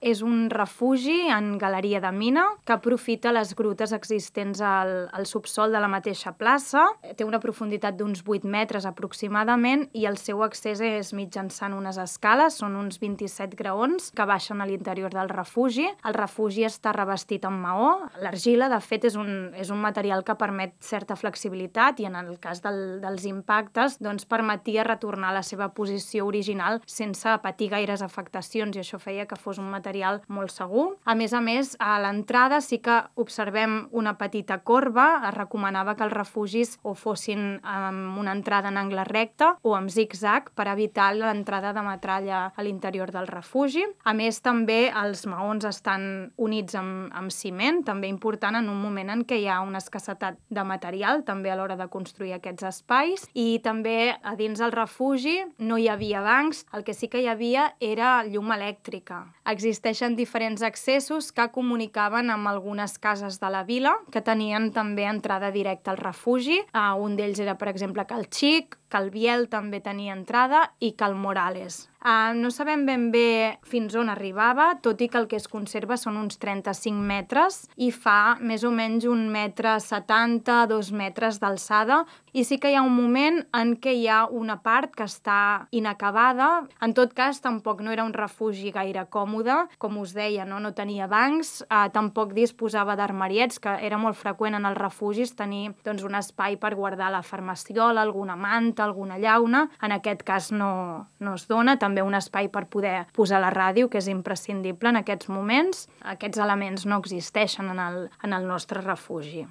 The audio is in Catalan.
És un refugi en galeria de mina que aprofita les grutes existents al subsol de la mateixa plaça. Té una profunditat d'uns 8 metres aproximadament i el seu accés és mitjançant unes escales, són uns 27 graons que baixen a l'interior del refugi. El refugi està revestit amb maó. L'argila, de fet, és un material que permet certa flexibilitat i en el cas dels impactes doncs permetia retornar a la seva posició original sense patir gaires afectacions i això feia que fos un material molt segur. A més, a l'entrada sí que observem una petita corba. Es recomanava que els refugis o fossin amb una entrada en angle recte o amb zig-zag per evitar l'entrada de metralla a l'interior del refugi. A més, també els maons estan units amb ciment, també important en un moment en què hi ha una escassetat de material, també a l'hora de construir aquests espais. I també a dins del refugi no hi havia bancs, el que sí que hi havia era llum elèctrica. Existeixen diferents accessos que comunicaven amb algunes cases de la vila que tenien també entrada directa al refugi. Un d'ells era, per exemple, Cal Xic, Cal Biel també tenia entrada i Cal Morales. No sabem ben bé fins on arribava, tot i que el que es conserva són uns 35 metres i fa més o menys 1,70 m, 2 metres d'alçada. I sí que hi ha un moment en què hi ha una part que està inacabada. En tot cas, tampoc no era un refugi gaire còmode. Com us deia, no tenia bancs, tampoc disposava d'armariets, que era molt freqüent en els refugis tenir un espai per guardar la farmaciola, alguna manta, alguna llauna. En aquest cas no es dona. També un espai per poder posar la ràdio, que és imprescindible en aquests moments. Aquests elements no existeixen en el nostre refugi.